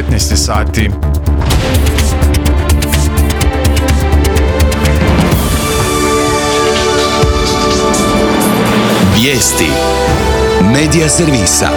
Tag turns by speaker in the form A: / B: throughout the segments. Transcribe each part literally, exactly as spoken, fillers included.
A: petnaest sati.
B: Vijesti Medija servisa.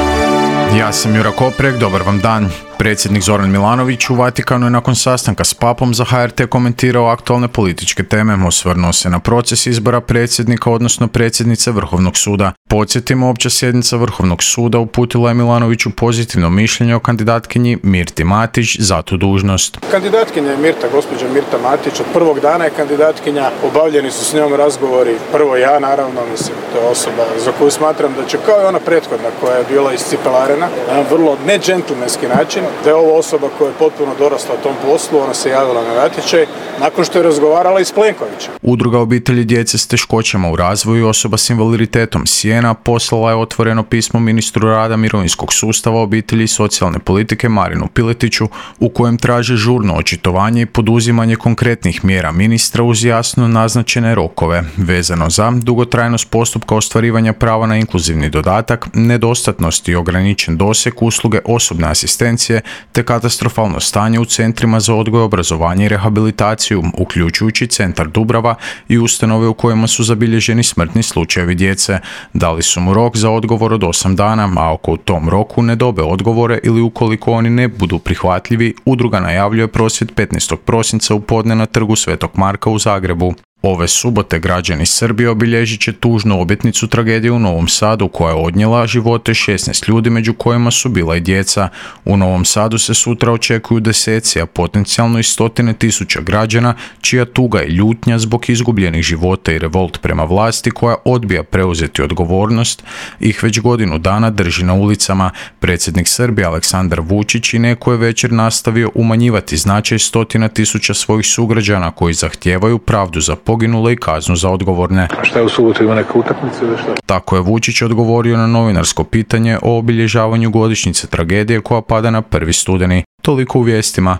A: Ja sam Jura Koprek, dobar vam dan. Predsjednik Zoran Milanović u Vatikanu je nakon sastanka s papom za H R T komentirao aktualne političke teme, osvrnuo se na proces izbora predsjednika, odnosno predsjednice Vrhovnog suda. Podsjetimo, opća sjednica Vrhovnog suda uputila je Milanoviću pozitivno mišljenje o kandidatkinji Mirti Matić za tu dužnost.
C: Kandidatkinja je Mirta, gospođa Mirta Matić, od prvog dana je kandidatkinja, obavljeni su s njom razgovori, prvo ja naravno, mislim, to je osoba za koju smatram da će, kao i ona prethodna koja je bila iscipelarena, na vrlo ne džentlmenski način, da je ovo osoba koja je potpuno dorasla tom poslu, ona se javila na natječaj nakon što je razgovarala i s Plenkovićem.
A: Udruga obitelji djece s teškoćama u razvoju i osoba s invaliditetom Sijena poslala je otvoreno pismo ministru rada, mirovinskog sustava, obitelji i socijalne politike Marinu Piletiću u kojem traže žurno očitovanje i poduzimanje konkretnih mjera ministra uz jasno naznačene rokove vezano za dugotrajnost postupka ostvarivanja prava na inkluzivni dodatak, nedostatnost i ograničen doseg usluge osobne asistencije te katastrofalno stanje u centrima za odgoj, obrazovanje i rehabilitaciju, uključujući centar Dubrava i ustanove u kojima su zabilježeni smrtni slučajevi djece. Dali su mu rok za odgovor od osam dana, a ako u tom roku ne dobe odgovore ili ukoliko oni ne budu prihvatljivi, udruga najavljuje prosvjed petnaestog prosinca u podne na trgu Svetog Marka u Zagrebu. Ove subote građani Srbije obilježit će tužnu obljetnicu tragedije u Novom Sadu koja je odnijela živote šesnaest ljudi, među kojima su bila i djeca. U Novom Sadu se sutra očekuju deseci, a potencijalno i stotine tisuća građana čija tuga i ljutnja zbog izgubljenih života i revolt prema vlasti koja odbija preuzeti odgovornost ih već godinu dana drži na ulicama. Predsjednik Srbije Aleksandar Vučić i neko je večer nastavio umanjivati značaj stotina tisuća svojih sugrađana koji zahtijevaju pravdu za poginule i kaznu za odgovorne.
C: A šta je u subotu, ima neka utakmica ili šta?
A: Tako je Vučić odgovorio na novinarsko pitanje o obilježavanju godišnjice tragedije koja pada na prvi studeni. Toliko u vijestima.